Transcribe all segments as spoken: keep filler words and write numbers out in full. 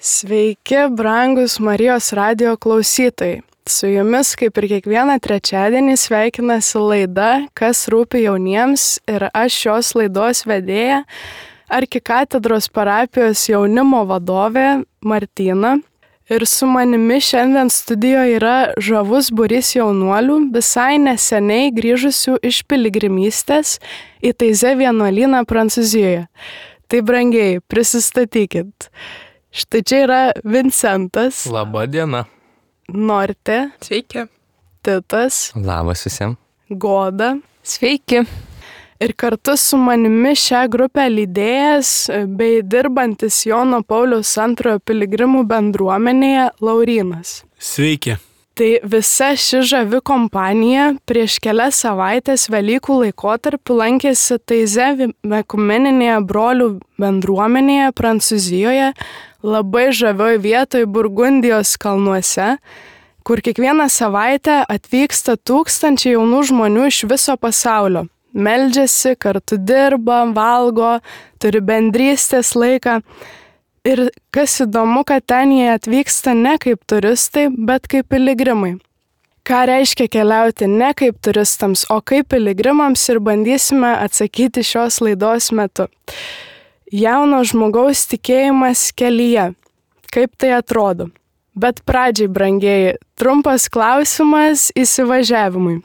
Sveiki, brangus Marijos radijo klausytojai. Su jumis, kaip ir kiekvieną trečiadienį, sveikinasi laida Kas rūpi jauniems ir aš šios laidos vedėja, Arkikatedros parapijos jaunimo vadovė Martina. Ir su manimi šiandien studijoje yra žavus būrys jaunuolių, visai neseniai grįžusių iš piligrimystės į Taizė vienuolyną Prancūzijoje. Tai brangiai, prisistatykit. Štai čia yra Vincentas. Labą dieną. Nortė. Sveiki. Titas. Labas visiems. Goda. Sveiki. Ir kartu su manimi šią grupę lydėjęs bei dirbantis Jono Pauliaus antrojo piligrimų bendruomenėje Laurynas. Sveiki. Tai visa ši žavi kompanija prieš kelias savaitės Velykų laikotarpiu lankėsi Taizė ekumeninėje brolių bendruomenėje Prancūzijoje, labai žavioj vietoj Burgundijos kalnuose, kur kiekvieną savaitę atvyksta tūkstančiai jaunų žmonių iš viso pasaulio. Meldžiasi, kartu dirba, valgo, turi bendrystės laiką. Ir kas įdomu, kad ten jie atvyksta ne kaip turistai, bet kaip piligrimai. Ką reiškia keliauti ne kaip turistams, o kaip piligrimams ir bandysime atsakyti šios laidos metu. Jauno žmogaus tikėjimas kelyje. Kaip tai atrodo? Bet pradžiai, brangieji, trumpas klausimas įsivažiavimui.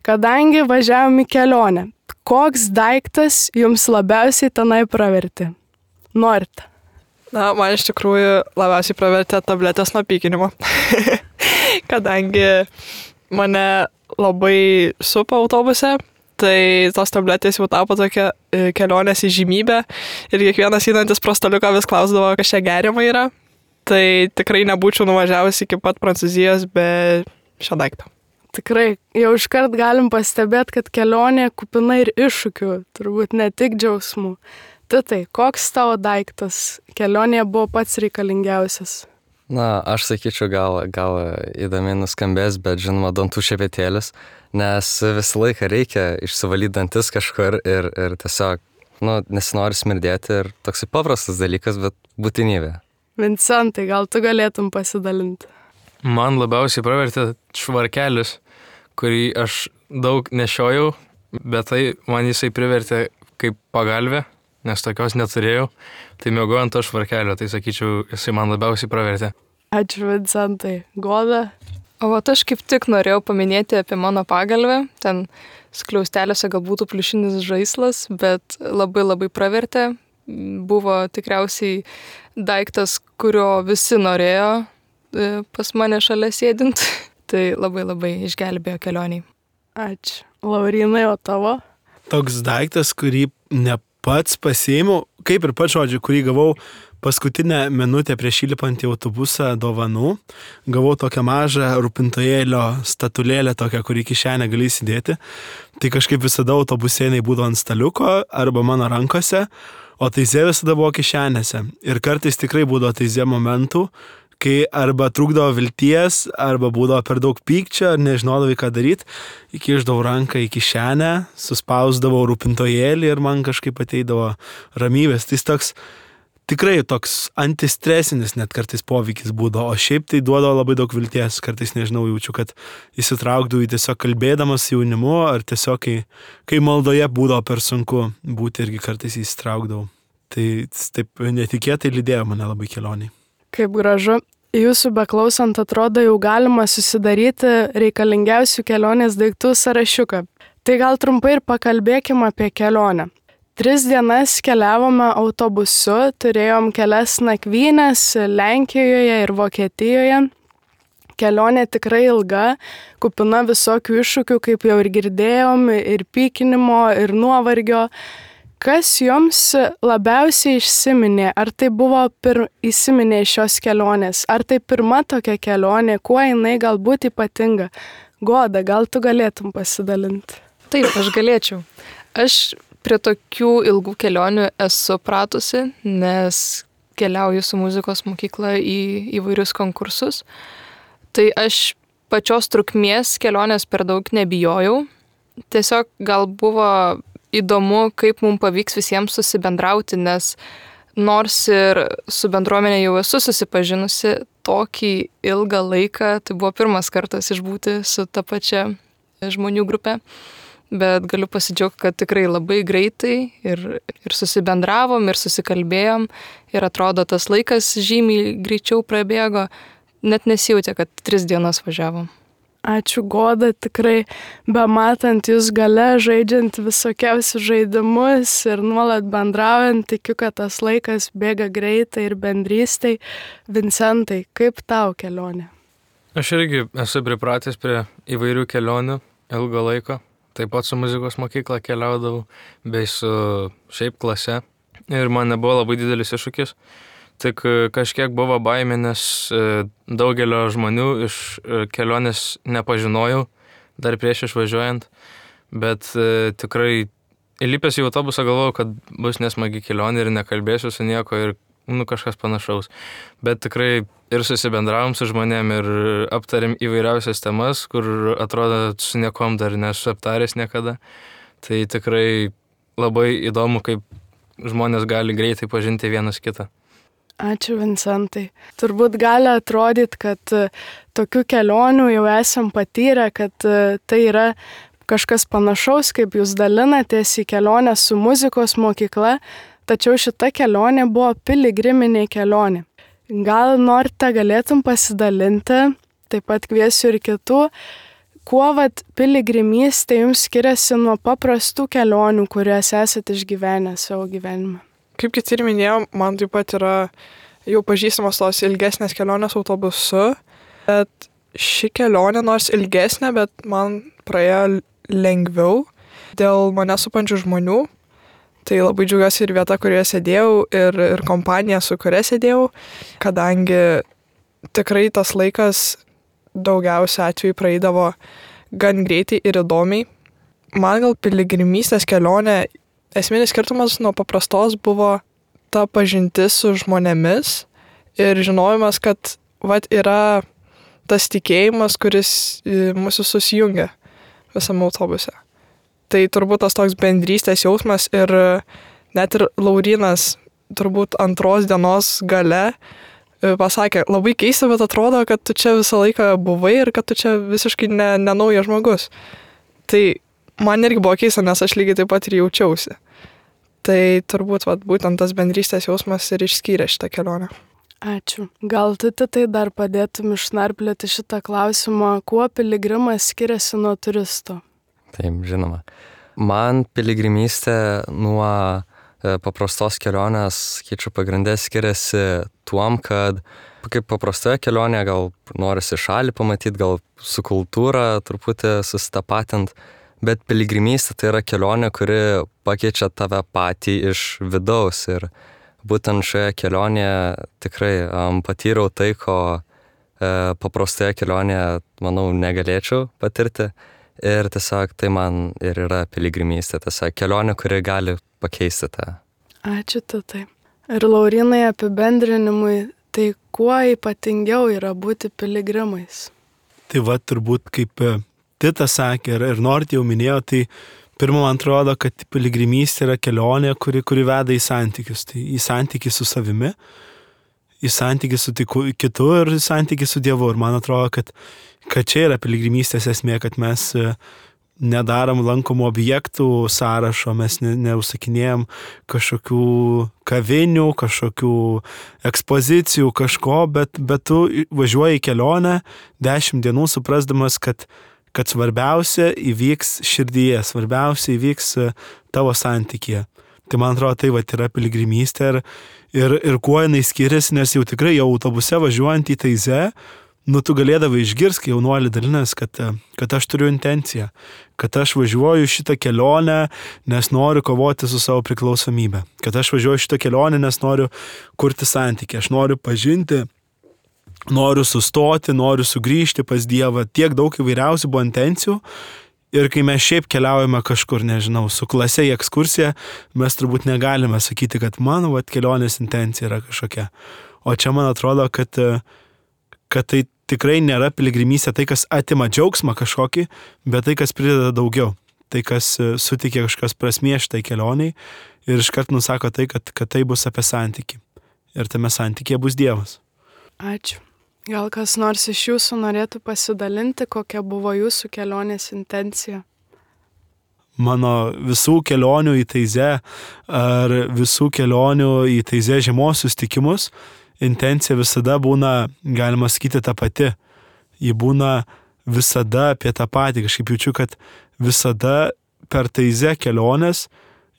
Kadangi važiavom į kelionę, koks daiktas jums labiausiai tenai pravertė? Norite? Na, man iš tikrųjų labiausiai pravertė tabletės nuo pykinimo. Kadangi mane labai supa autobuse, tai tos tabletės jau tapo tokia kelionės įžymybė ir kiekvienas einantis pro staliuką vis klausdavo, kas čia geriama yra. Tai tikrai nebūčiau nuvažiavęs iki pat Prancūzijos be šio daikto. Tikrai, jau iškart galim pastebėti, kad kelionė kupina ir iššūkių, turbūt ne tik džiaugsmų. Titai, koks tavo daiktas kelionėje buvo pats reikalingiausias? Na, aš sakyčiau, gal, gal įdomiai nuskambės, bet žinoma, dantų šepetėlis, nes visą laiką reikia išsivalyti dantis kažkur ir, ir tiesiog, nu, nesinori smirdėti ir toksai paprastas dalykas, bet būtinybė. Vincentai, gal tu galėtum pasidalinti? Man labiausiai pravertė švarkelis, kurį aš daug nešiojau, bet tai man jisai privertė kaip pagalvė, nes tokios neturėjau, tai mėgau ant to švarkelio, tai sakyčiau, jisai man labiausiai pravertė. Ačiū, Vincentai. Goda? O vat aš kaip tik norėjau paminėti apie mano pagalvę, ten skliaustelėse gal būtų pliušinis žaislas, bet labai labai pravertė, buvo tikriausiai daiktas, kurio visi norėjo pas mane šalia sėdint, tai labai labai išgelbėjo kelioniai. Ačiū. Laurynai, o tavo? Toks daiktas, kurį ne pats pasiėmiau, kaip ir pats žodžiu, kurį gavau paskutinę minutę prieš įlipant į autobusą dovanų. Gavau tokią mažą rūpintojėlio statulėlę, tokią, kurį kišenę gali įsidėti. Tai kažkaip visada autobusėnai būdavo ant staliuko arba mano rankose, o Taizė visada buvo kišenėse. Ir kartais tikrai būdavo Taizė momentų, kai arba trūkdavo vilties, arba būdavo per daug pykčio, ar nežinodavai ką daryti, įkišdavau ranką į kišenę, suspausdavau rūpintojėlį ir man kažkaip ateidavo ramybės. Tai toks, tikrai toks antistresinis net kartais poveikis būdavo, o šiaip tai duodavo labai daug vilties. Kartais, nežinau, jaučiu, kad įsitraukdavau į tiesiog kalbėdamas jaunimu, ar tiesiog, kai, kai maldoje būdavo per sunku būti, irgi kartais įsitraukdavau. Tai taip netikėtai lydėjo mane labai kelioniai. Kaip gražu. Jūsų beklausant atrodo jau galima susidaryti reikalingiausių kelionės daiktų sąrašiuką. Tai gal trumpai ir pakalbėkime apie kelionę. Tris dienas keliavome autobusu, turėjom kelias nakvynės Lenkijoje ir Vokietijoje. Kelionė tikrai ilga, kupina visokių iššūkių, kaip jau ir girdėjom, ir pykinimo, ir nuovargio. Kas jums labiausiai išsiminė? Ar tai buvo pir... įsiminė šios kelionės? Ar tai pirma tokia kelionė? Kuo jinai galbūt ypatinga? Goda, gal tu galėtum pasidalinti? Taip, aš galėčiau. Aš prie tokių ilgų kelionių esu pratusi, nes keliauju su muzikos mokykla į įvairius konkursus. Tai aš pačios trukmės kelionės per daug nebijojau. Tiesiog gal buvo įdomu, kaip mums pavyks visiems susibendrauti, nes nors ir su bendruomenė jau esu susipažinusi tokį ilgą laiką, tai buvo pirmas kartas išbūti su ta pačia žmonių grupė, bet galiu pasidžiaugti, kad tikrai labai greitai ir, ir susibendravom, ir susikalbėjom, ir atrodo tas laikas žymiai greičiau prabėgo, net nesijautė, kad tris dienas važiavom. Ačiū Goda, tikrai bematant jūs gale, žaidžiant visokiausius žaidimus ir nuolat bendraujant, tikiu, kad tas laikas bėga greitai ir bendrystai. Vincentai, kaip tau kelionė? Aš irgi esu pripratęs prie įvairių kelionių ilgo laiko. Taip pat su muzikos mokykla keliaudavau, bei su šiaip klase. Ir man nebuvo labai didelis iššūkis. Tik kažkiek buvo baimė, nes daugelio žmonių iš kelionės nepažinojau, dar prieš išvažiuojant. Bet tikrai įlipęs į autobusą galvojau, kad bus nesmagi kelionė ir nekalbėsiu su nieko ir nu, kažkas panašaus. Bet tikrai ir susibendravom su žmonėm ir aptarėm įvairiausias temas, kur atrodo su niekom dar nesu aptaręs niekada. Tai tikrai labai įdomu, kaip žmonės gali greitai pažinti vienas kitą. Ačiū Vincentai. Turbūt gali atrodyti, kad tokių kelionių jau esam patyrę, kad tai yra kažkas panašaus, kaip jūs dalinatės į kelionę su muzikos mokykla, tačiau šita kelionė buvo piligriminė kelionė. Gal norite galėtum pasidalinti, taip pat kviesiu ir kitų, kuo vat piligrimystė jums skiriasi nuo paprastų kelionių, kurias esate išgyvenę savo gyvenime? Kaip kiti ir minėjau, man taip pat yra jau pažįstamos tos ilgesnės kelionės autobusu, bet ši kelionė nors ilgesnė, bet man praėjo lengviau dėl mane supančių žmonių. Tai labai džiaugiuosi ir vieta, kurioje sėdėjau, ir, ir kompanija, su kuria sėdėjau, kadangi tikrai tas laikas daugiausia atveju praeidavo gan greitai ir įdomiai. Man gal piligrimystės kelionė, esminis skirtumas nuo paprastos buvo ta pažintis su žmonėmis ir žinojimas, kad vat, yra tas tikėjimas, kuris mūsų susijungia visame autobuse. Tai turbūt tas toks bendrystės jausmas ir net ir Laurynas turbūt antros dienos gale pasakė, labai keista, bet atrodo, kad tu čia visą laiką buvai ir kad tu čia visiškai ne, ne naujas žmogus. Tai man irgi buvo keista, nes aš lygiai taip pat ir jaučiausi. Tai turbūt vat, būtent tas bendrystės jausmas ir išskyrė šitą kelionę. Ačiū. Gal tu tai dar padėtum išnarplioti šitą klausimą, kuo piligrimas skiriasi nuo turisto? Taip, žinoma. Man piligrimystė nuo paprastos kelionės, sakyčiau, pagrindė skiriasi tuom, kad kaip paprastoje kelionėje gal norisi šalį pamatyti, gal su kultūra truputį susitapatint, bet piligrimystė tai yra kelionė, kuri pakeičia tave patį iš vidaus. Ir būtent šioje kelionėje tikrai um, patyriau tai, ko e, paprastoje kelionėje, manau, negalėčiau patirti. Ir tiesiog tai man ir yra piligrimystė, tiesiog kelionė, kuri gali pakeisti tą. Ačiū tai. Ir Laurynai apibendrinimui, tai kuo ypatingiau yra būti piligrimais? Tai va, turbūt kaip Titas sakė ir, ir Nort jau minėjo, tai pirmą man atrodo, kad piligrimystė yra kelionė, kuri, kuri veda į santykius. Tai į santykį su savimi, į santykį su tiku, kitu ir į santykį su Dievu. Ir man atrodo, kad kad čia yra piligrimystės esmė, kad mes nedarom lankomų objektų sąrašo, mes ne, neužsakinėjom kažkokių kavinių, kažkokių ekspozicijų, kažko, bet, bet tu važiuoji į kelionę dešimt dienų suprasdamas, kad, kad svarbiausia įvyks širdyje, svarbiausia įvyks tavo santykyje. Tai man atrodo, tai va, yra piligrimystė ir, ir, ir kuo jinai skiriasi, nes jau tikrai jau autobuse važiuojant į Taizę, nu, tu galėdavai išgirsti, kai jaunuolį dalinės, kad, kad aš turiu intenciją, kad aš važiuoju šitą kelionę, nes noriu kovoti su savo priklausomybė, kad aš važiuoju šitą kelionę, nes noriu kurti santykį, aš noriu pažinti, noriu sustoti, noriu sugrįžti pas Dievą, tiek daug įvairiausių buvo intencijų. Ir kai mes šiaip keliaujame kažkur, nežinau, su klase į ekskursiją, mes turbūt negalime sakyti, kad mano vat, kelionės intencija yra kažkokia. O čia man atrodo, kad, kad tai tikrai nėra piligrimystė, tai, kas atima džiaugsmą kažkokį, bet tai, kas prideda daugiau. Tai, kas suteikia kažkas prasmės šitai kelioniai ir iškart nusako tai, kad, kad tai bus apie santykį. Ir tame santykėje bus Dievas. Ačiū. Gal kas nors iš jūsų norėtų pasidalinti, kokia buvo jūsų kelionės intencija? Mano visų kelionių į Taizę ar visų kelionių į Taizę žiemos sustikimus intencija visada būna, galima sakyti, ta pati. Ji būna visada apie tą patį. Kažkaip jaučiu, kad visada per Taizę kelionės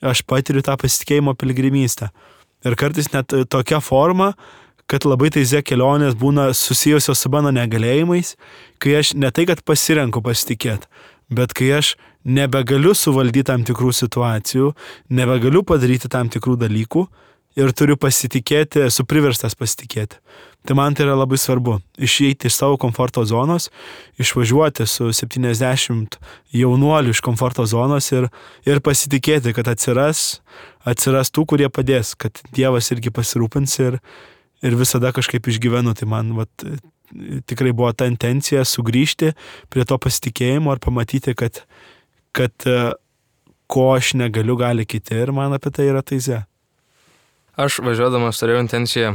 aš patiriu tą pasitikėjimo piligrimystę. Ir kartais net tokia forma, kad labai Taizę kelionės būna susijusios su mano negalėjimais, kai aš ne tai, kad pasirenku pasitikėti, bet kai aš nebegaliu suvaldyti tam tikrų situacijų, nebegaliu padaryti tam tikrų dalykų ir turiu pasitikėti, esu priverstas pasitikėti. Tai man tai yra labai svarbu. Išeiti iš savo komforto zonos, išvažiuoti su septyniasdešimt jaunuolių iš komforto zonos ir, ir pasitikėti, kad atsiras, atsiras tų, kurie padės, kad Dievas irgi pasirūpins ir, ir visada kažkaip išgyvenu. Tai man vat, tikrai buvo ta intencija sugrįžti prie to pasitikėjimo ir pamatyti, kad, kad ko aš negaliu, gali kiti, ir man apie tai yra Taizė. Aš važiuodamas turėjau intenciją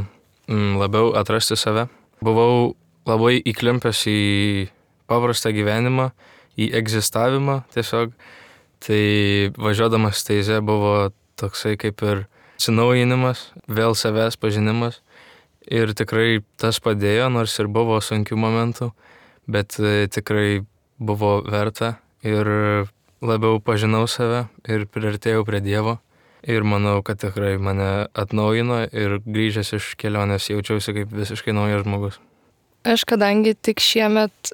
m, labiau atrasti save. Buvau labai įklimpęs į paprastą gyvenimą, į egzistavimą tiesiog. Tai važiuodamas Taizė buvo toksai kaip ir atsinaujinimas, vėl savęs pažinimas. Ir tikrai tas padėjo, nors ir buvo sunkių momentų, bet tikrai buvo verta ir labiau pažinau save ir priartėjau prie Dievo. Ir manau, kad tikrai mane atnaujino ir grįžęs iš kelionės jaučiausi kaip visiškai naujas žmogus. Aš kadangi tik šiemet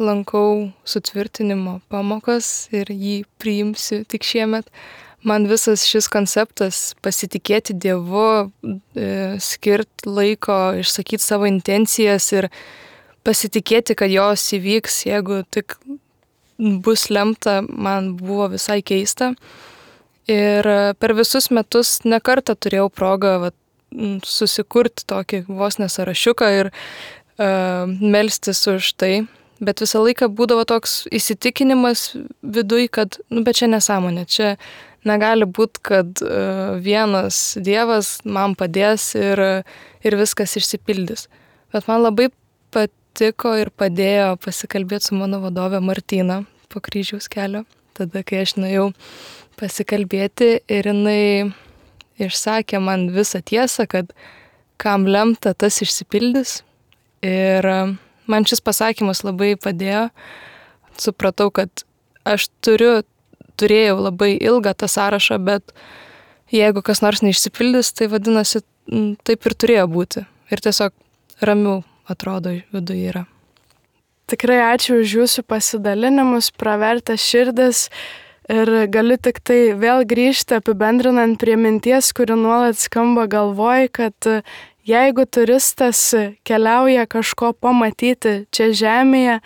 lankau sutvirtinimo pamokas ir jį priimsiu tik šiemet, man visas šis konceptas pasitikėti Dievu, skirti laiko, išsakyti savo intencijas ir pasitikėti, kad jos įvyks, jeigu tik bus lemta, man buvo visai keista. Ir per visus metus nekartą turėjau progą va, susikurti tokį vos nesąrašiuką ir uh, melstis už tai. Bet visą laiką būdavo toks įsitikinimas viduj, kad, nu, bet čia nesąmonė, čia negali būti, kad uh, vienas Dievas man padės ir, ir viskas išsipildys. Bet man labai patiko ir padėjo pasikalbėti su mano vadove Martina po kryžiaus kelio, tada, kai aš nuėjau pasikalbėti ir jinai išsakė man visą tiesą, kad kam lemta, tas išsipildys. Ir man šis pasakymas labai padėjo. Supratau, kad aš turiu, turėjau labai ilgą tą sąrašą, bet jeigu kas nors neišsipildys, tai vadinasi, taip ir turėjo būti. Ir tiesiog ramiau atrodo viduje yra. Tikrai ačiū už jūsų pasidalinimus, pravertę širdis. Ir galiu tik tai vėl grįžti apibendrinant prie minties, kuri nuolat skamba galvoj, kad jeigu turistas keliauja kažko pamatyti čia žemėje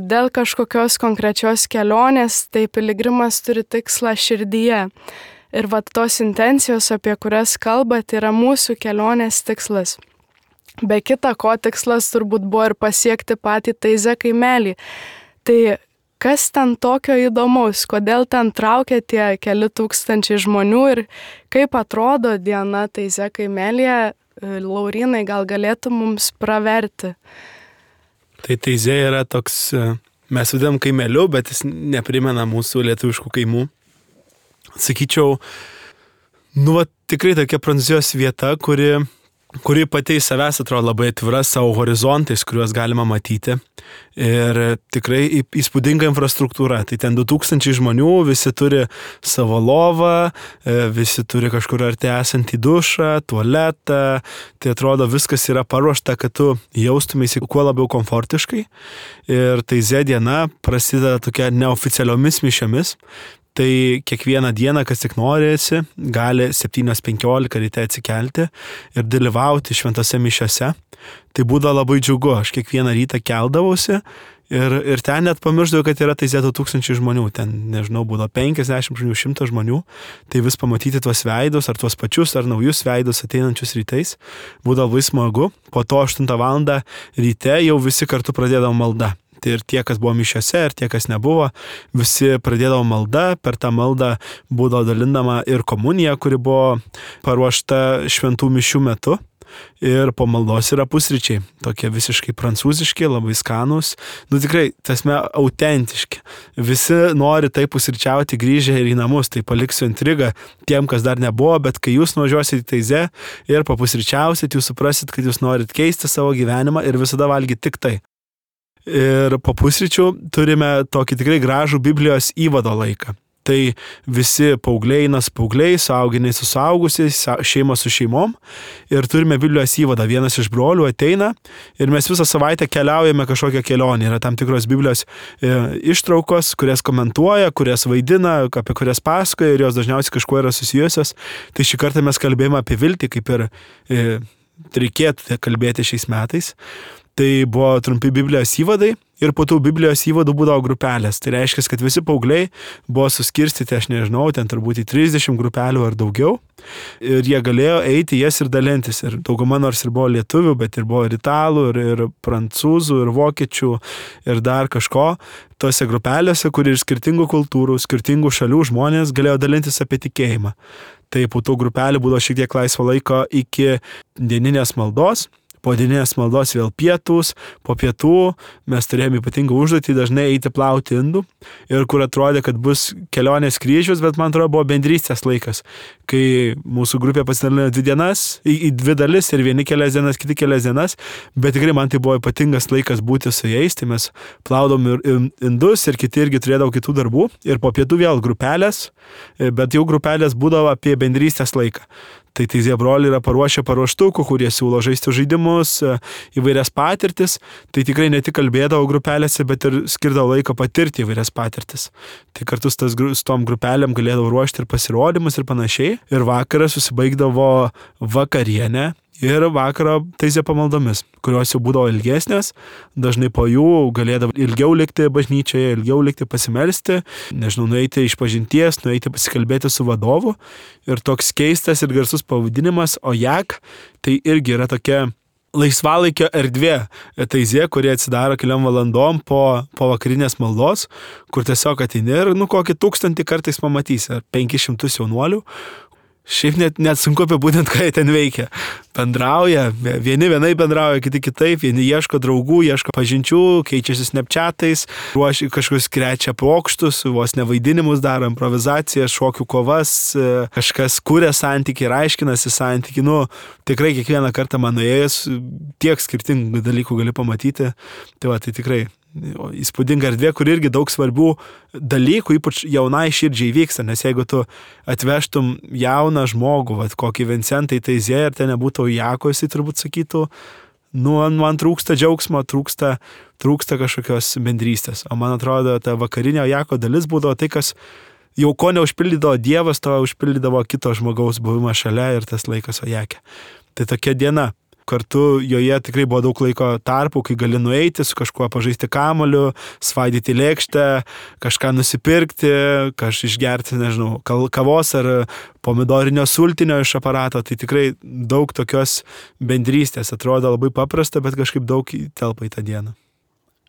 dėl kažkokios konkrečios kelionės, tai piligrimas turi tikslą širdyje. Ir vat tos intencijos, apie kurias kalbat, yra mūsų kelionės tikslas. Be kita ko, tikslas turbūt buvo ir pasiekti patį Taizę kaimelį. Tai kas ten tokio įdomaus, kodėl ten traukia tie keli tūkstančiai žmonių ir kaip atrodo diena Taizė kaimelyje, Laurynai, gal galėtų mums praverti? Tai Taizė yra toks, mes vadinam kaimeliu, bet jis neprimena mūsų lietuviškų kaimų. Sakyčiau, nu, va, tikrai tokia Prancūzijos vieta, kuri, kuri pati į savęs atrodo labai atvira savo horizontais, kuriuos galima matyti. Ir tikrai įspūdinga infrastruktūra. Tai ten du tūkstančiai žmonių, visi turi savo lovą, visi turi kažkur arti esantį dušą, tualetą. Tai atrodo viskas yra paruošta, kad tu jaustumėsi kuo labiau komfortiškai. Ir Taizė diena prasideda tokia neoficialiomis mišiomis. Tai kiekvieną dieną, kas tik norėsi, gali septynios penkiolika ryte atsikelti ir dalyvauti šventose mišiose. Tai būdavo labai džiugu, aš kiekvieną rytą keldavausi ir, ir ten net pamiršdavau, kad yra Taizė du tūkstančiai žmonių, ten, nežinau, būdavo penkiasdešimt žmonių, šimtas žmonių, tai vis pamatyti tuos veidus, ar tuos pačius, ar naujus veidus ateinančius rytais, būdavo labai smagu. Po to aštuntą valandą ryte jau visi kartu pradėdavo maldą. Tai ir tie, kas buvo mišiose, ir tie, kas nebuvo, visi pradėdavo maldą, per tą maldą būdavo dalindama ir komunija, kuri buvo paruošta šventų mišių metu. Ir po maldos yra pusryčiai, tokie visiškai prancūziški, labai skanūs, nu tikrai, tasme, autentiški. Visi nori taip pusryčiauti grįžę ir į namus, tai paliksiu intrigą tiem, kas dar nebuvo, bet kai jūs nuvažiuosite į Taizė ir papusryčiausit, jūs suprasit, kad jūs norit keisti savo gyvenimą ir visada valgyti tik tai. Ir po pusryčių turime tokį tikrai gražų Biblijos įvado laiką. Tai visi paaugliai eina su paaugliais, suauginiai su suaugusiais, šeima su šeimom ir turime Biblijos įvadą. Vienas iš brolių ateina ir mes visą savaitę keliaujame kažkokią kelionę. Yra tam tikros Biblijos e, ištraukos, kurias komentuoja, kurias vaidina, apie kurias pasakoja ir jos dažniausiai kažkuo yra susijusios. Tai šį kartą mes kalbėjome apie viltį, kaip ir e, reikėtų kalbėti šiais metais. Tai buvo trumpi Biblijos įvadai ir po tų Biblijos įvadų būdavo grupelės. Tai reiškia, kad visi paaugliai buvo suskirstyti, aš nežinau, ten turbūt į trisdešimt grupelių ar daugiau. Ir jie galėjo eiti jas ir dalintis. Ir dauguma nors ir buvo lietuvių, bet ir buvo ir italų, ir, ir prancūzų, ir vokiečių, ir dar kažko. Tose grupelėse, kur ir skirtingų kultūrų, skirtingų šalių žmonės galėjo dalintis apie tikėjimą. Tai po tų grupelių būdavo šiek tiek laisvo laiko iki dieninės maldos. Po dieninės maldos vėl pietus, po pietų mes turėjome ypatingą užduotį dažnai eiti plauti indų ir kur atrodė, kad bus kelionės kryžius, bet man atrodo buvo bendrystės laikas, kai mūsų grupė pasidalino dvi dienas, į, į dvi dalis ir vieni kelias dienas, kiti kelias dienas, bet tikrai man tai buvo ypatingas laikas būti su jais, tai mes plaudom ir indus ir kiti irgi turėdavo kitų darbų ir po pietų vėl grupelės, bet jau grupelės būdavo apie bendrystės laiką. Tai Taizė broliai yra paruošę paruoštukų, kurie siūlo žaisti žaidimus, įvairias patirtis. Tai tikrai ne tik kalbėdavo grupelėse, bet ir skirdavo laiko patirti įvairias patirtis. Tai kartu su, tas, su tom grupelėm galėdavo ruošti ir pasirodymus ir panašiai. Ir vakarą susibaigdavo vakarienė. Ir vakaro Taizė pamaldomis, kurios jau būdavo ilgesnės, dažnai po jų galėdavo ilgiau likti bažnyčioje, ilgiau likti pasimelsti, nežinau, nueiti iš pažinties, nueiti pasikalbėti su vadovu. Ir toks keistas ir garsus pavadinimas Ojak, tai irgi yra tokia laisvalaikio erdvė Taizė, kurie atsidaro keliom valandom po, po vakarinės maldos, kur tiesiog ateini ir nu kokį tūkstantį kartais pamatysi, ar penkis šimtus jaunuolių. Šiaip net, net sunku apibūdinti, ką jie ten veikia. Bendrauja, vieni vienai bendrauja, kiti kitaip, vieni ieško draugų, ieško pažinčių, keičiasi snapchatais, ruošia kažkokius krečia pokštus, vos nevaidinimus daro, improvizaciją, šokių kovas, kažkas kuria santykį ir aiškinasi santykį. Nu, tikrai kiekvieną kartą man nuėjęs tiek skirtingų dalykų gali pamatyti. Tai va, tai tikrai įspūdinga erdvė, kur irgi daug svarbių dalykų, ypač jaunai širdžiai vyksta, nes jeigu tu atvežtum jauną žmogų, vat, kokį Vincentą į Taizė ir ten nebūtų Ojako, jisai turbūt sakytų, nu, man trūksta džiaugsmo, trūksta, trūksta kažkokios bendrystės. O man atrodo, ta vakarinė Ojako dalis būdavo tai, kas jau ko neužpildydavo Dievas, to užpildydavo kito žmogaus buvimą šalia ir tas laikas Ojake. Tai tokia diena. Kartu joje tikrai buvo daug laiko tarpų, kai gali nueiti su kažkuo pažaisti kamuoliu, svaidyti lėkštę, kažką nusipirkti, kažką išgerti, nežinau, kavos ar pomidorinio sultinio iš aparato. Tai tikrai daug tokios bendrystės. Atrodo labai paprasta, bet kažkaip daug telpa į tą dieną.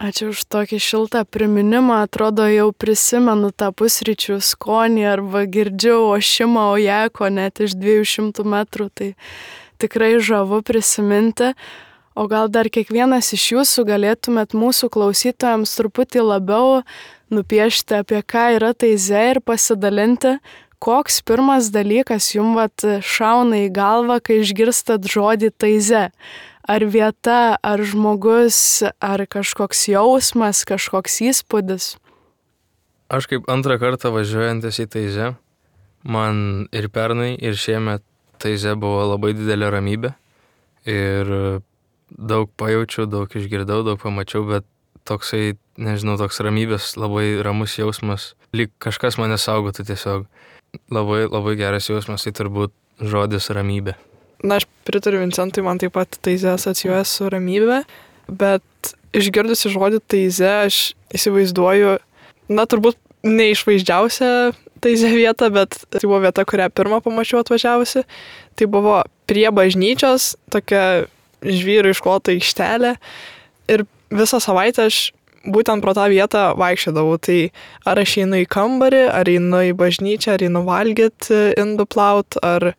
Ačiū už tokį šiltą priminimą. Atrodo, jau prisimenu tą pusryčių skonį arba girdžiu ošimą Ojako net iš dviejų šimtų metrų. Tai tikrai žavu prisiminti, o gal dar kiekvienas iš jūsų galėtumėt mūsų klausytojams truputį labiau nupiešti, apie ką yra Taizė ir pasidalinti, koks pirmas dalykas jums vat šauna į galvą, kai išgirstat žodį Taizė. Ar vieta, ar žmogus, ar kažkoks jausmas, kažkoks įspūdis? Aš kaip antrą kartą važiuojantis į Taizė, man ir pernai, ir šiemet Taizė buvo labai didelė ramybė ir daug pajaučiau, daug išgirdau, daug pamačiau, bet toksai, nežinau, toks ramybės, labai ramus jausmas, lyg kažkas mane saugotų tiesiog. Labai, labai geras jausmas, tai turbūt žodis ramybė. Na, aš pritariu Vincentui, man taip pat Taizė asocijuoja su ramybė, bet išgirdusi žodį Taizė, aš įsivaizduoju, na, turbūt neišvaizdžiausia Taizė vieta, bet tai buvo vieta, kurią pirmą pamačiau atvažiavusi. Tai buvo prie bažnyčios, tokia žvyrų išklota aikštelė. Ir visą savaitę aš būtent pro tą vietą vaikščiodavau. Tai ar aš einu į kambarį, ar einu į bažnyčią, ar einu valgyti, indų plaut, ar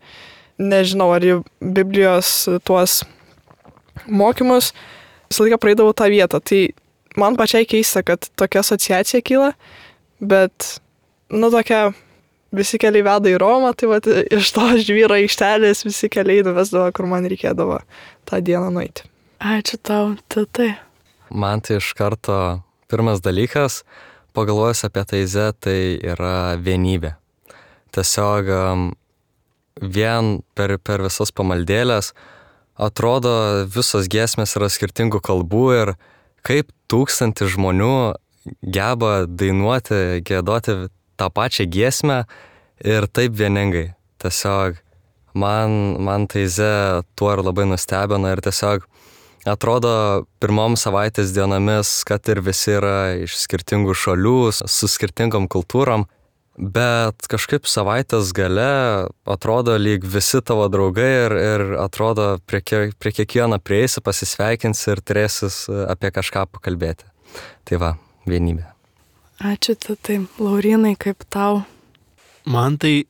nežinau, ar į Biblijos tuos mokymus, visą laiką praeidavau tą vietą. Tai man pačiai keista, kad tokia asociacija kyla, bet, nu, tokia visi keliai veda į Romą, tai vat, iš to žvyro aikštelės visi keliai nuvesdavo, kur man reikėdavo tą dieną nueiti. Ačiū tau, tai. Man tai iš karto pirmas dalykas, pagalvojus apie Taizę, tai yra vienybė. Tiesiog vien per, per visas pamaldėlės atrodo visos giesmės yra skirtingų kalbų ir kaip tūkstantis žmonių geba dainuoti, giedoti tą pačią giesmę ir taip vieningai. Tiesiog man, man Taizė tuo ir labai nustebino ir tiesiog atrodo pirmom savaitės dienomis, kad ir visi yra iš skirtingų šalių, su skirtingom kultūrom, bet kažkaip savaitės gale atrodo lyg visi tavo draugai ir, ir atrodo prie, prie kiekvieno prieisi, pasisveikinsi ir turėsis apie kažką pakalbėti. Tai va, vienybė. Ačiū, tai Laurinai, kaip tau? Man tai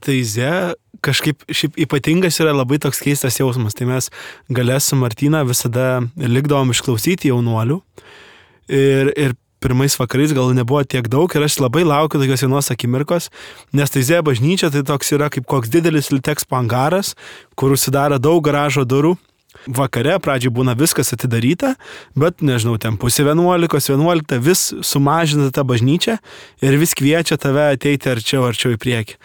Taizė kažkaip šiaip ypatingas yra labai toks keistas jausmas. Tai mes gale su Martyna visada likdavom išklausyti jaunuolių ir, ir pirmais vakarais gal nebuvo tiek daug ir aš labai laukiu tokios vienos akimirkos, nes Taizė bažnyčia tai toks yra kaip koks didelis Litexpo angaras, kur užsidaro daug garažo durų. Vakare pradžiai būna viskas atidaryta, bet nežinau, ten pusė vienuolikos, vienuolikta vis sumažina tą bažnyčią ir vis kviečia tave ateiti arčiau, arčiau į priekį.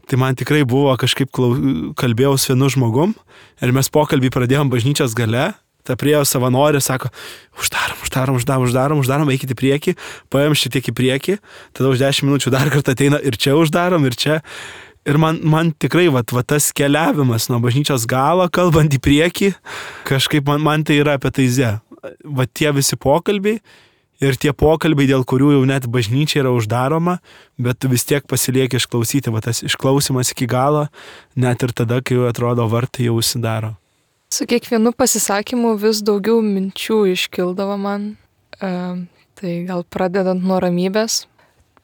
Tai man tikrai buvo kažkaip klau... kalbėjau su vienu žmogum ir mes pokalbį pradėjom bažnyčios gale, ta priėjo savanorė, sako, uždarom, uždarom, uždarom, uždarom, uždarom, eikit į priekį, paėm šitiek į priekį, tada už dešimt minučių dar kartą ateina ir čia uždarom, ir čia. Ir man, man tikrai va, va, tas keliavimas nuo bažnyčios galo, kalbant į priekį, kažkaip man, man tai yra apie Taizę. Va tie visi pokalbiai ir tie pokalbiai, dėl kurių jau net bažnyčia yra uždaroma, bet tu vis tiek pasilieki išklausyti. Va tas išklausimas iki galo, net ir tada, kai jau atrodo vartai jau užsidaro. Su kiekvienu pasisakymu vis daugiau minčių iškildavo man. E, tai gal pradedant nuo ramybės.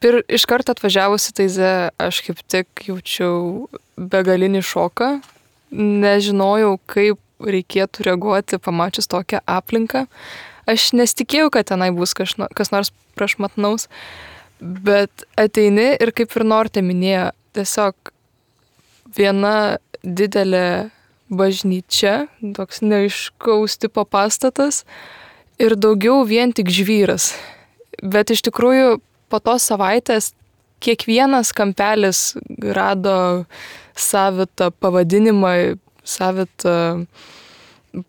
Ir iš karto atvažiavusi Taizę aš kaip tik jaučiau begalinį šoką, nežinojau, kaip reikėtų reaguoti pamačius tokią aplinką. Aš nesitikėjau, kad tenai bus kas, kas nors prašmatnaus, bet ateini ir kaip ir Nortė minėjo, tiesiog viena didelė bažnyčia, toks neaiškaus tipo pastatas ir daugiau vien tik žvyras. Bet iš tikrųjų po tos savaitės kiekvienas kampelis rado savitą pavadinimą, savitą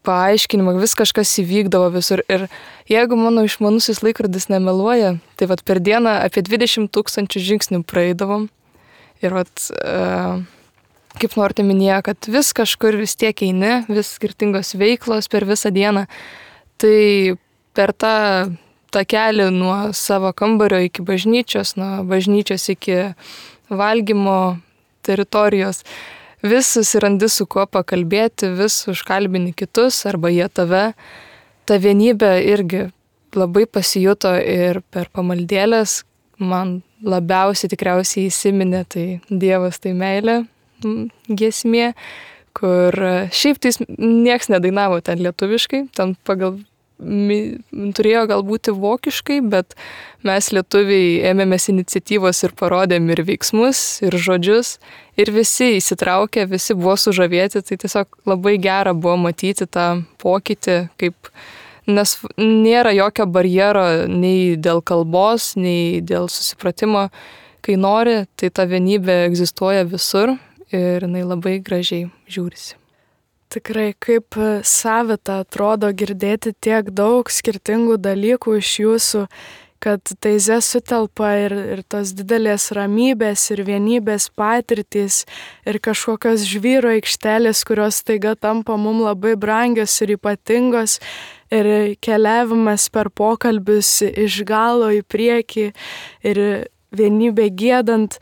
paaiškinimą, vis kažkas įvykdavo visur. Ir jeigu mano išmanusis laikrodis nemeluoja, tai vat per dieną apie dvidešimt tūkstančių žingsnių praeidavom. Ir vat, kaip Nortė minėjo, kad vis kažkur vis tiek eini, vis skirtingos veiklos per visą dieną. Tai per tą takelį nuo savo kambario iki bažnyčios, nuo bažnyčios iki valgymo teritorijos. Vis susirandi su kuo pakalbėti, vis užkalbini kitus arba jie tave. Ta vienybė irgi labai pasijuto ir per pamaldėlės. Man labiausiai tikriausiai įsiminė tai Dievas tai meilė giesmė, kur šiaip tai nieks nedainavo ten lietuviškai, ten pagal turėjo galbūt vokiškai, bet mes lietuviai ėmėmės iniciatyvos ir parodėm ir veiksmus, ir žodžius, ir visi įsitraukė, visi buvo sužavėti, tai tiesiog labai gera buvo matyti tą pokytį, kaip, nes nėra jokio barjero nei dėl kalbos, nei dėl susipratimo, kai nori, tai ta vienybė egzistuoja visur ir jinai labai gražiai žiūrisi. Tikrai, kaip savita atrodo girdėti tiek daug skirtingų dalykų iš jūsų, kad Taizė sutelpa ir, ir tos didelės ramybės ir vienybės patirtys ir kažkokios žvyro aikštelės, kurios taiga tampa mums labai brangios ir ypatingos ir keliavimas per pokalbius iš galo į priekį ir vienybė giedant.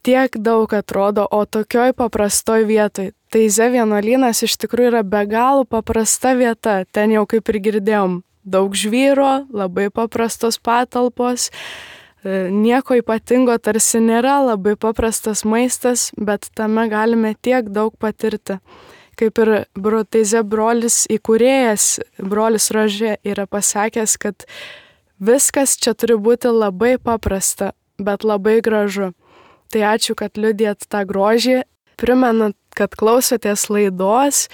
Tiek daug atrodo, o tokioj paprastoj vietoj. Taizė vienuolynas iš tikrųjų yra be galo paprasta vieta, ten jau kaip ir girdėjom, daug žvyro, labai paprastos patalpos, nieko ypatingo tarsi nėra, labai paprastas maistas, bet tame galime tiek daug patirti. Kaip ir Teize brolis įkūrėjas, brolis Rožė yra pasakęs, kad viskas čia turi būti labai paprasta, bet labai gražu. Tai ačiū, kad liudijat tą grožį. Primenu, kad klausotės laidos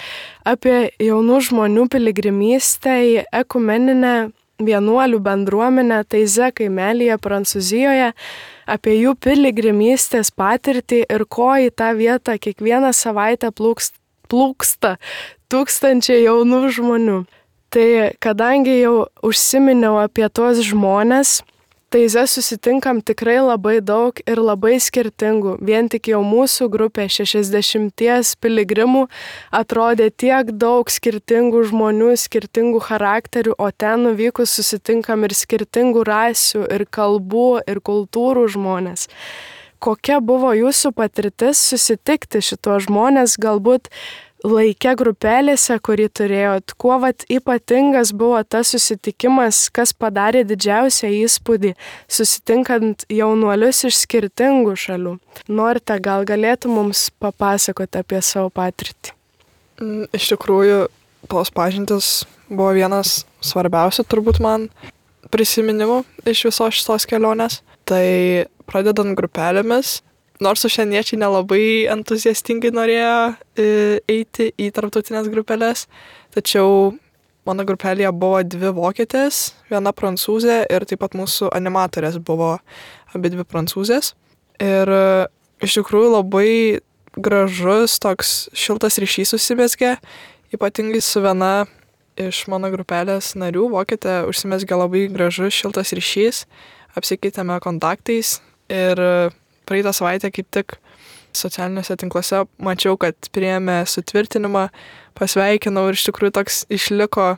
apie jaunų žmonių piligrimystę į ekumeninę vienuolių bendruomenę Teize kaimelyje Prancūzijoje, apie jų piligrimystės patirtį ir ko į tą vietą kiekvieną savaitę plūksta, plūksta tūkstančiai jaunų žmonių. Tai kadangi jau užsiminiau apie tuos žmonės, Teize susitinkam tikrai labai daug ir labai skirtingų. Vien tik jau mūsų grupė šešiasdešimties piligrimų atrodė tiek daug skirtingų žmonių, skirtingų charakterių, o ten nuvykus susitinkam ir skirtingų rasių, ir kalbų, ir kultūrų žmonės. Kokia buvo jūsų patirtis susitikti šituos žmonės, galbūt laike grupelėse, kurį turėjot? Kuo vat ypatingas buvo tas susitikimas, kas padarė didžiausią įspūdį, susitinkant jaunuolius iš skirtingų šalių? Norite, gal galėtų mums papasakoti apie savo patirtį? Iš tikrųjų, tos pažintis buvo vienas svarbiausių turbūt man prisiminimų iš visos šitos kelionės. Tai pradedant grupelėmis, nors užsieniečiai nelabai entuziastingai norėjo eiti į tarptautinės grupelės, tačiau mano grupelėje buvo dvi vokietės, viena prancūzė ir taip pat mūsų animatorės buvo abi dvi prancūzės. Ir iš tikrųjų labai gražus toks šiltas ryšys susimezgė, ypatingai su viena iš mano grupelės narių, vokietė, užsimezgė labai gražus šiltas ryšys, apsikeitėme kontaktais ir praeitą savaitę kaip tik socialiniuose tinkluose mačiau, kad priėmė sutvirtinimą, pasveikinau ir iš tikrųjų toks išliko,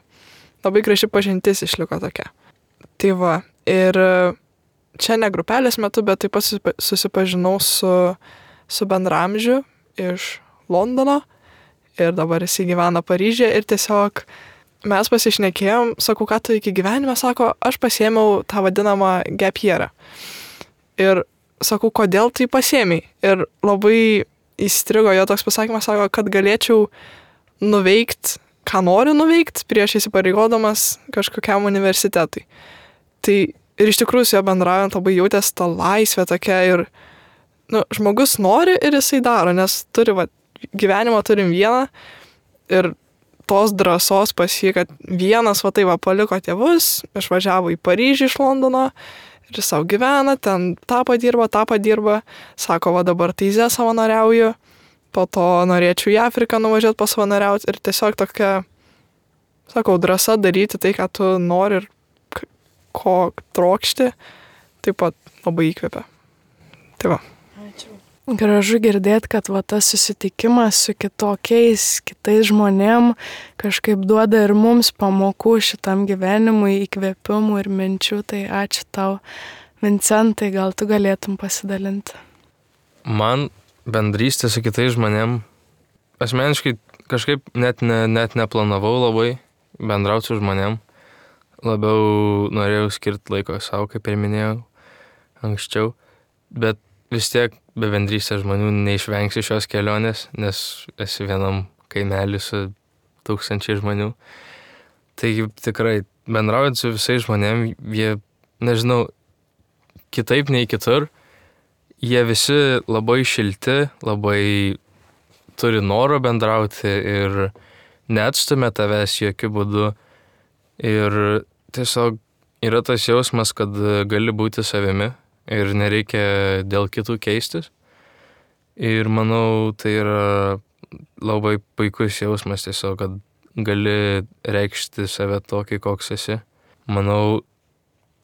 labai graži pažintis išliko tokia. Tai va, ir čia ne grupelės metu, bet taip pat susipažinau su, su bendramžiu iš Londono ir dabar jis gyvena Paryžiuje ir tiesiog mes pasišnekėjom, sakau, ką tu iki gyvenime, sako, aš pasiėmiau tą vadinamą gap yearą. Ir sakau, kodėl tai pasiėmei? Ir labai įstrigo jo toks pasakymas, sako, kad galėčiau nuveikti, ką noriu nuveikti, prieš įsipareigodamas kažkokiam universitetui. Tai ir iš tikrųjų su jo bendraujant labai jautės tą laisvę tokia ir nu, žmogus nori ir jisai daro, nes turi, va, gyvenimą turim vieną ir tos drąsos pas jį, kad vienas va tai va paliko tėvus, išvažiavo į Paryžių iš Londono, ir savo gyvena, ten tą padirba, tą padirba, sako, va dabar Teize savanoriauju, po to norėčiau į Afriką nuvažiuoti pasavanoriauti ir tiesiog tokia, sakau, drąsa daryti tai, ką tu nori ir ko trokšti, taip pat labai įkvepia. Tai va. Ačiū. Gražu girdėti, kad va tas susitikimas su kitokiais, kitais žmonėm kažkaip duoda ir mums pamokų šitam gyvenimui, įkvėpimų ir minčių. Tai ačiū tau, Vincentai, gal tu galėtum pasidalinti. Man bendrystė su kitais žmonėm, asmeniškai kažkaip net, ne, net neplanavau labai bendrauti su žmonėm. Labiau norėjau skirti laiko savo, kaip ir minėjau anksčiau, bet vis tiek be bendrystės žmonių neišvengsi šios kelionės, nes esi vienam kaimelį su tūkstančiai žmonių. Taigi tikrai bendraujant su visais žmonėm, jie, nežinau, kitaip nei kitur, jie visi labai šilti, labai turi noro bendrauti ir neatstumia tavęs jokių būdų. Ir tiesiog yra tas jausmas, kad gali būti savimi ir nereikia dėl kitų keistis. Ir manau, tai yra labai puikus jausmas tiesiog, kad gali reikšti save tokį, koks esi. Manau,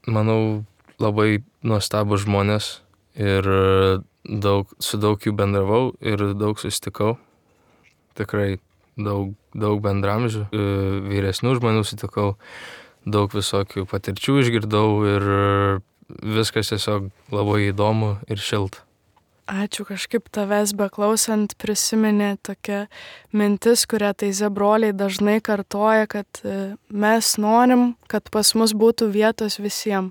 manau labai nuostabus žmonės ir daug, su daug jų bendravau ir daug susitikau. Tikrai daug, daug bendramžių, vyresnių žmonių sutikau, daug visokių patirčių išgirdau ir viskas tiesiog labai įdomu ir šilta. Ačiū, kažkaip tavęs beklausant prisiminė tokia mintis, kurią Taize broliai dažnai kartoja, kad mes norim, kad pas mus būtų vietos visiems.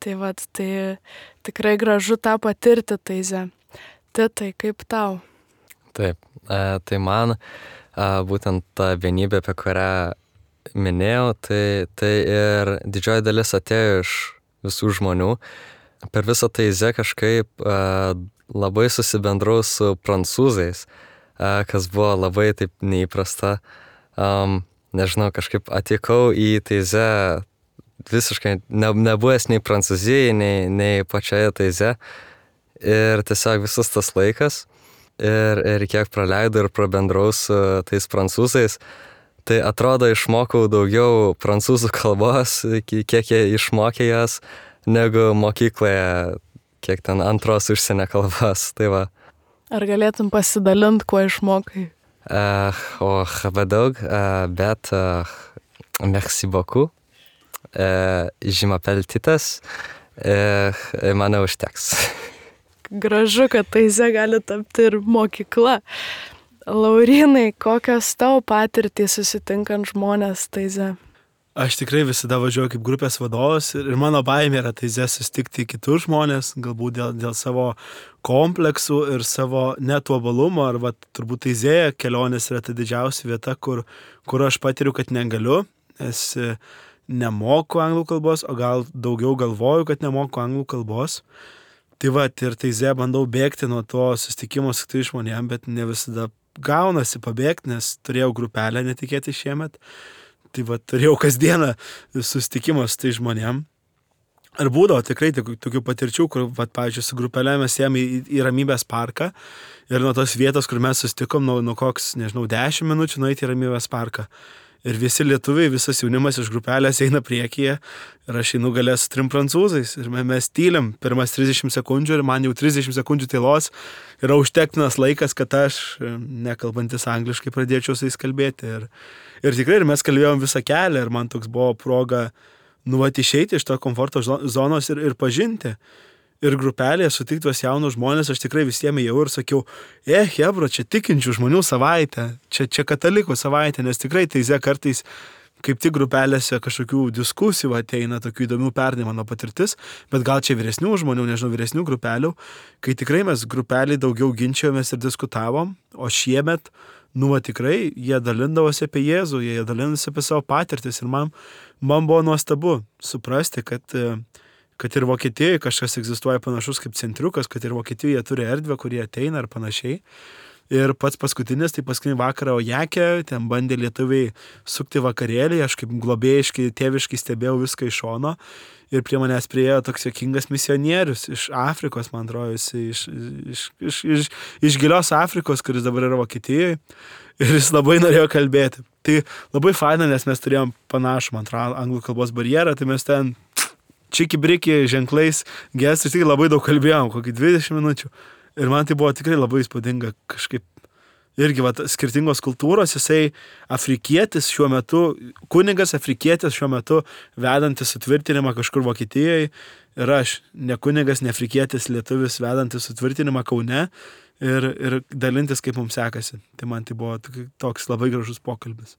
Tai vat, tai tikrai gražu tą patirti, Taize. Titai, kaip tau? Taip, e, tai man e, būtent ta vienybė, apie kurią minėjau, tai, tai ir didžioji dalis atėjo iš visų žmonių. Per visą Taize kažkaip e, labai susibendrau su prancūzais, e, kas buvo labai taip neįprasta. Um, nežinau, kažkaip atvykau į Taize visiškai ne, nebuvęs nei Prancūzijai, nei, nei pačioje Taize. Ir tiesiog visas tas laikas ir, ir kiek praleidau ir prabendrau su tais prancūzais, tai atrodo išmokau daugiau prancūzų kalbos, kiek jie išmokė jas, negu mokykloje, kiek ten antros užsienio kalbos. Tai va. Ar galėtum pasidalinti, kuo išmokai? Uh, o, labai daug, uh, bet uh, merci beaucoup. Uh, je m'appelle Titas. Uh, mane užteks. Gražu, kad Taize gali tapti ir mokykla. Laurynai, kokios tavo patirtys susitinkant žmonės Taize? Aš tikrai visada važiuoju kaip grupės vadovas ir mano baimė yra Taize susitikti kitus žmonės, galbūt dėl, dėl savo kompleksų ir savo netuobalumo, arba turbūt Taizėje kelionės yra ta didžiausia vieta, kur, kur aš patiriu, kad negaliu, nes nemoku anglų kalbos, o gal daugiau galvoju, kad nemoku anglų kalbos. Tai va, ir Taize bandau bėgti nuo to susitikimo su kitais žmonėm, bet ne visada gaunasi pabėgti, nes turėjau grupelę netikėtai šiemet. Tai va, turėjau kasdieną susitikimą su tai žmonėm. Ir būdavo tikrai tokių patirčių, kur, va, pavyzdžiui, su grupelė mes ėjom į, į Ramybės parką ir nuo tos vietos, kur mes susitikom, nuo, nuo koks, nežinau, dešimt minučių nueiti į Ramybės parką. Ir visi lietuviai, visas jaunimas iš grupelės eina priekyje ir aš einu galę su trim prancūzais. Ir mes tylim pirmas trisdešimt sekundžių ir man jau trisdešimt sekundžių tylos yra užtektinas laikas, kad aš, nekalbantis angliškai, pradėčiau su jais kalbėti. Ir, ir tikrai ir mes kalbėjom visą kelią ir man toks buvo proga nuvat išeiti iš to komforto zonos ir, ir pažinti. Ir grupelėje sutiktos jaunus žmonės, aš tikrai visiems ėjau ir sakiau, e, hebro, čia tikinčių žmonių savaitė, čia, čia katalikų savaitė, nes tikrai Taize kartais kaip tik grupelėse kažkokių diskusijų ateina, tokių įdomių pernai mano patirtis, bet gal čia vyresnių žmonių, nežinau, vyresnių grupelių, kai tikrai mes grupelį daugiau ginčiojomės ir diskutavom, o šiemet, nu, va, tikrai jie dalindavosi apie Jėzų, jie dalindavosi apie savo patirtis ir man, man buvo nuostabu suprasti, kad kad ir Vokietijoje kažkas egzistuoja panašus kaip centriukas, kad ir Vokietijoje turi erdvę, kurie ateina ir panašiai. Ir pats paskutinis, tai paskutinį vakarą Ojake, ten bandė lietuviai sukti vakarėlį, aš kaip globėjiškai, tėviškai stebėjau viską iš šono ir prie manęs priėjo toks juokingas misionierius iš Afrikos, man atrodo, iš, iš, iš, iš, iš gilios Afrikos, kuris dabar yra Vokietijoje ir jis labai norėjo kalbėti. Tai labai faina, nes mes turėjom panašų, man atrodo, anglų kalbos barjerą, tai mes ten čiki-briki ženklais gestais, tik labai daug kalbėjom, kokį dvidešimt minučių. Ir man tai buvo tikrai labai įspūdinga kažkaip. Irgi va, skirtingos kultūros, jisai afrikietis šiuo metu, kunigas afrikietis šiuo metu vedantis sutvirtinimą kažkur Vokietijoje ir aš, ne kunigas, ne afrikietis lietuvis vedantis sutvirtinimą Kaune ir, ir dalintis, kaip mums sekasi. Tai man tai buvo toks labai gražus pokalbis.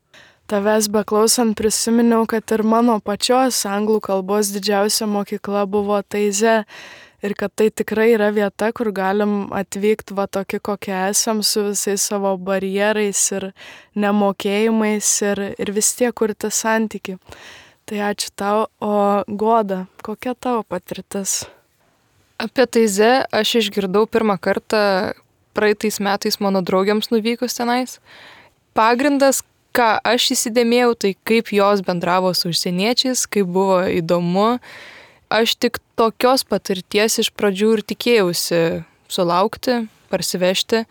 Tavęs beklausant prisiminiau, kad ir mano pačios anglų kalbos didžiausia mokykla buvo Taize ir kad tai tikrai yra vieta, kur galim atvykti va tokie, kokie esam, su visais savo barjerais ir nemokėjimais ir, ir vis tiek kurti santyki. Tai ačiū tau, o Goda, kokia tavo patirtis? Apie Taize aš išgirdau pirmą kartą praeitais metais mano draugiams nuvykus tenais. Pagrindas, ką aš įsidėmėjau, tai kaip jos bendravo su užsieniečiais, kaip buvo įdomu. Aš tik tokios patirties iš pradžių ir tikėjausi sulaukti, parsivežti.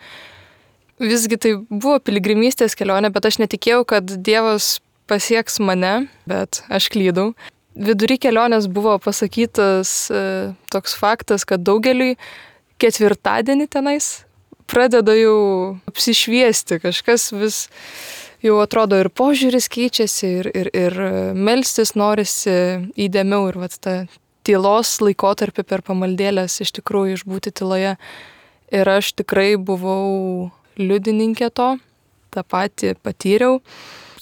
Visgi tai buvo piligrimystės kelionė, bet aš netikėjau, kad Dievas pasieks mane, bet aš klydau. Vidury kelionės buvo pasakytas e, toks faktas, kad daugeliui ketvirtadienį tenais pradeda jau apsišviesti, kažkas vis jau atrodo ir požiūris keičiasi ir, ir, ir melstis norisi įdėmiau ir vat, ta tylos laikotarpį per pamaldėlės iš tikrųjų išbūti tyloje ir aš tikrai buvau liudininkė to, tą patį patyriau.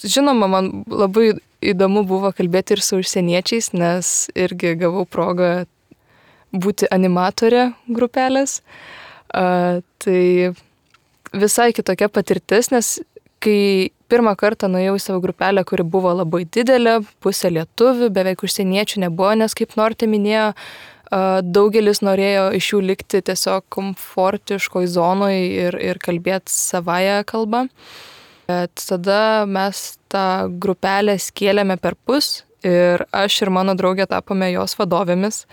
Žinoma, man labai įdomu buvo kalbėti ir su užsieniečiais, nes irgi gavau progą būti animatorė grupelės. Uh, tai visai kitokia patirtis, nes kai pirmą kartą nuėjau į savo grupelę, kuri buvo labai didelė, pusė lietuvių, beveik užsieniečių nebuvo, nes kaip Nortė minėjo, uh, daugelis norėjo iš jų likti tiesiog komfortiškoj zonoj ir, ir kalbėti savąją kalbą. Bet tada mes tą grupelę skėlėme per pus ir aš ir mano draugė tapome jos vadovėmis.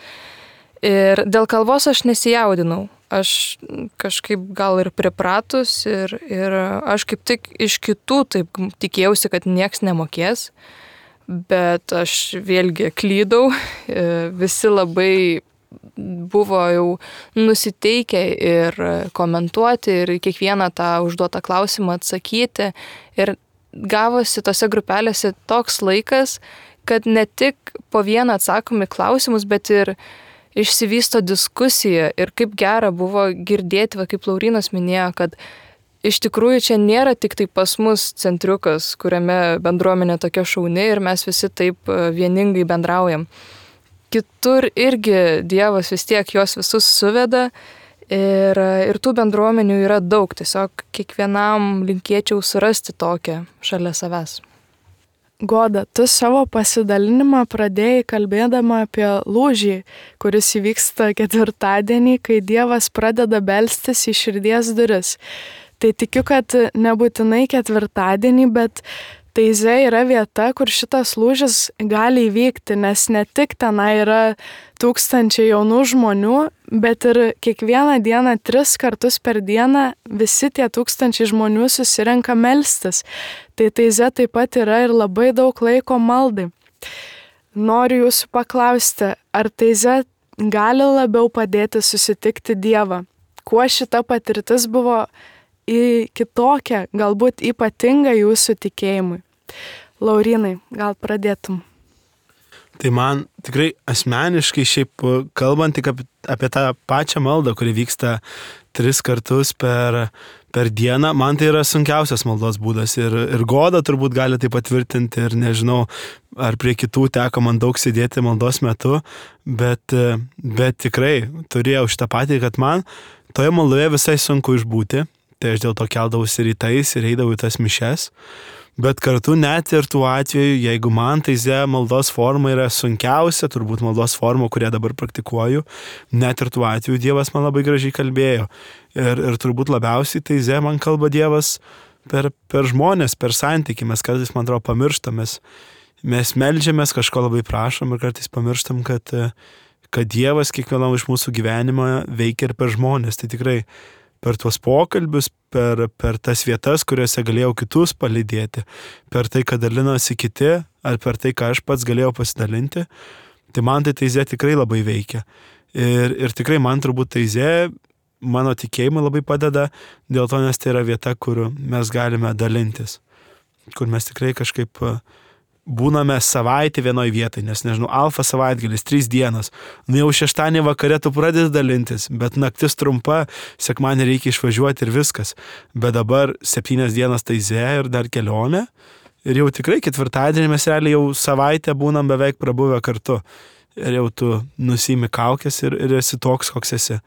Ir dėl kalbos aš nesijaudinau. Aš kažkaip gal ir pripratus ir, ir aš kaip tik iš kitų taip tikėjausi, kad nieks nemokės. Bet aš vėlgi klydau. Visi labai buvo jau nusiteikę ir komentuoti ir kiekvieną tą užduotą klausimą atsakyti. Ir gavosi tose grupelėse toks laikas, kad ne tik po vieną atsakomi klausimus, bet ir išsivysto diskusija. Ir kaip gera buvo girdėti, va, kaip Laurynas minėjo, kad iš tikrųjų čia nėra tik tai pas mus centriukas, kuriame bendruomenė tokia šauni ir mes visi taip vieningai bendraujam. Kitur irgi Dievas vis tiek juos visus suveda ir, ir tų bendruomenių yra daug. Tiesiog kiekvienam linkėčiau surasti tokią šalia savęs. Goda, tu savo pasidalinimą pradėjai kalbėdama apie lūžį, kuris įvyksta ketvirtadienį, kai Dievas pradeda belstis į širdies duris. Tai tikiu, kad nebūtinai ketvirtadienį, bet Taize yra vieta, kur šitas lūžis gali įvykti, nes ne tik tenai yra tūkstančiai jaunų žmonių, bet ir kiekvieną dieną, tris kartus per dieną visi tie tūkstančiai žmonių susirenka melstis. Tai Taize taip pat yra ir labai daug laiko maldai. Noriu jūsų paklausti, ar Taize gali labiau padėti susitikti Dievą? Kuo šita patirtis buvo į kitokią, galbūt ypatingą jūsų tikėjimui? Laurynai, gal pradėtum? Tai man tikrai asmeniškai šiaip kalbant tik apie, apie tą pačią maldą, kuri vyksta tris kartus per, per dieną, man tai yra sunkiausias maldos būdas ir, ir Goda turbūt gali tai patvirtinti ir nežinau, ar prie kitų teko man daug sėdėti maldos metu, bet, bet tikrai turėjau šitą patį, kad man toje maldoje visai sunku išbūti. Tai aš dėl to keldavausi rytais ir eidavau į tas mišes. Bet kartu net ir tuo atveju, jeigu man Taize maldos forma yra sunkiausia, turbūt maldos forma, kurią dabar praktikuoju, net ir tuo atveju Dievas man labai gražiai kalbėjo. Ir, ir turbūt labiausiai Taize man kalba Dievas per, per žmonės, per santykį. Mes kartais, man atrodo, pamirštam, mes, mes meldžiamės, kažko labai prašom ir kartais pamirštam, kad, kad Dievas kiekvienam iš mūsų gyvenimą veikia ir per žmonės. Tai tikrai per tuos pokalbius, per, per tas vietas, kuriuose galėjau kitus palydėti, per tai, kad dalinosi kiti, ar per tai, ką aš pats galėjau pasidalinti, tai man tai Taize tikrai labai veikia. Ir, ir tikrai man turbūt Taize mano tikėjimui labai padeda, dėl to, nes tai yra vieta, kur mes galime dalintis, kur mes tikrai kažkaip būname savaitę vienoj vietai, nes nežinau, alfa savaitgalis, trys dienos, nu jau šeštadienį vakare tu pradedi dalintis, bet naktis trumpa, sekmadienį reikia išvažiuoti ir viskas, bet dabar septynias dienas Taize ir dar kelionė ir jau tikrai ketvirtadienį mes realiai jau savaitę būnam beveik prabuvę kartu ir jau tu nusiimi kaukės ir, ir esi toks, koks esi.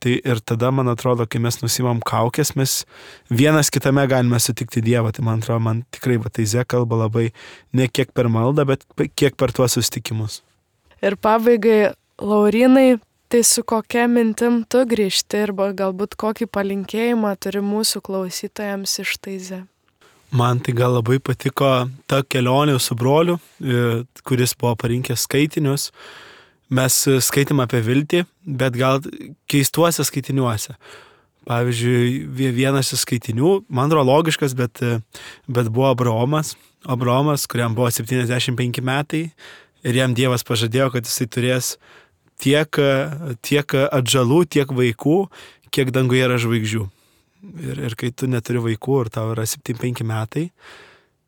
Tai ir tada, man atrodo, kai mes nusimam kaukės, mes vienas kitame galime sutikti Dievą. Tai man atrodo, man tikrai va, Taize kalba labai ne kiek per maldą, bet kiek per tuos susitikimus. Ir pabaigai, Laurynai, tai su kokia mintim tu grįžti ir galbūt kokį palinkėjimą turi mūsų klausytojams iš Taize? Man tai gal labai patiko ta kelionė su broliu, kuris buvo parinkęs skaitinius. Mes skaitėm apie viltį, bet gal keistuose skaitiniuose. Pavyzdžiui, vienas iš skaitinių, man atrodo logiškas, bet, bet buvo Abraomas. Abraomas, kuriam buvo septyniasdešimt penki metai ir jam Dievas pažadėjo, kad jisai turės tiek, tiek atžalų, tiek vaikų, kiek danguje yra žvaigždžių. Ir, ir kai tu neturi vaikų ir tau yra septyniasdešimt penki metai,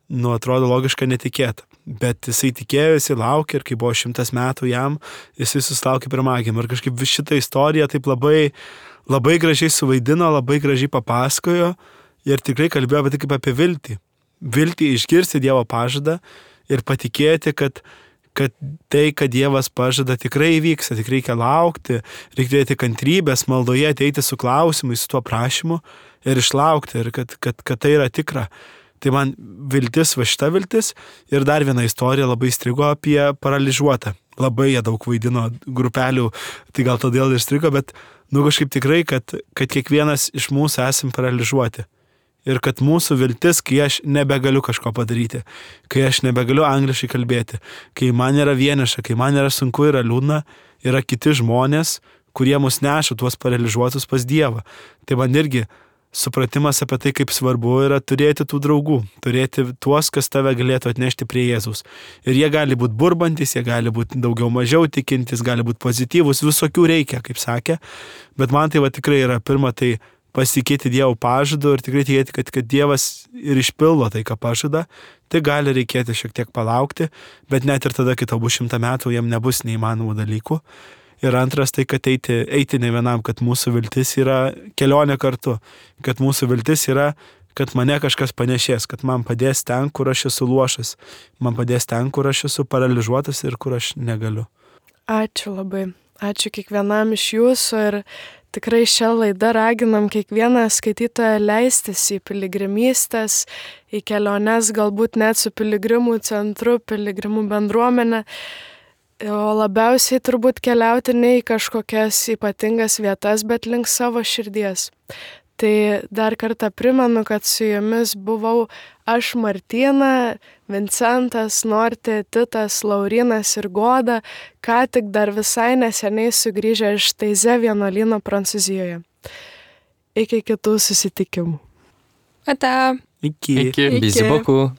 nu, atrodo logiška netikėta. Bet jisai tikėjo, jisai laukė ir kai buvo šimtas metų jam, jisai susilaukė pirmagimio. Ir kažkaip šitą istoriją taip labai, labai gražiai suvaidino, labai gražiai papasakojo ir tikrai kalbėjo apie tai kaip apie viltį. Viltį išgirsti Dievo pažadą ir patikėti, kad, kad tai, kad Dievas pažada, tikrai įvyksta, tik reikia laukti, reikia turėti kantrybės, maldoje ateiti su klausimais, su tuo prašymu ir išlaukti, ir kad, kad, kad tai yra tikra. Tai man viltis, va šita viltis ir dar viena istorija labai įstrigo apie paralyžiuotą. Labai jie daug vaidino grupelių, tai gal todėl ir įstrigo, bet nu kažkaip tikrai, kad, kad kiekvienas iš mūsų esam paralyžiuoti. Ir kad mūsų viltis, kai aš nebegaliu kažko padaryti, kai aš nebegaliu angliškai kalbėti, kai man yra vieniša, kai man yra sunku, yra liūdna, yra kiti žmonės, kurie mus neša tuos paralyžiuotus pas Dievą. Tai man irgi supratimas apie tai, kaip svarbu yra turėti tų draugų, turėti tuos, kas tave galėtų atnešti prie Jėzaus. Ir jie gali būti burbantis, jie gali būti daugiau mažiau tikintis, gali būti pozityvus, visokių reikia, kaip sakė. Bet man tai va tikrai yra pirma, tai pasitikėti Dievo pažadu ir tikrai tikėti, kad, kad Dievas ir išpildo tai, ką pažada. Tai gali reikėti šiek tiek palaukti, bet net ir tada, kai tau bus šimtą metų, jam nebus neįmanomų dalykų. Ir antras tai, kad eiti, eiti ne vienam, kad mūsų viltis yra kelionė kartu, kad mūsų viltis yra, kad mane kažkas panešės, kad man padės ten, kur aš esu luošas, man padės ten, kur aš esu paralyžiuotas ir kur aš negaliu. Ačiū labai. Ačiū kiekvienam iš jūsų ir tikrai šią laidą raginam kiekvieną skaitytoją leistis į piligrimystės, į keliones, galbūt net su piligrimų centru, piligrimų bendruomenė. O labiausiai turbūt keliauti ne į kažkokias ypatingas vietas, bet link savo širdies. Tai dar kartą primenu, kad su jumis buvau aš Martyna, Vincentas, Nortė, Titas, Laurinas ir Goda, ką tik dar visai neseniai sugrįžę iš Taize vienuolyno Prancūzijoje. Iki kitų susitikimų. Ate. Iki. Iki. Iki. Bizi beaucoup.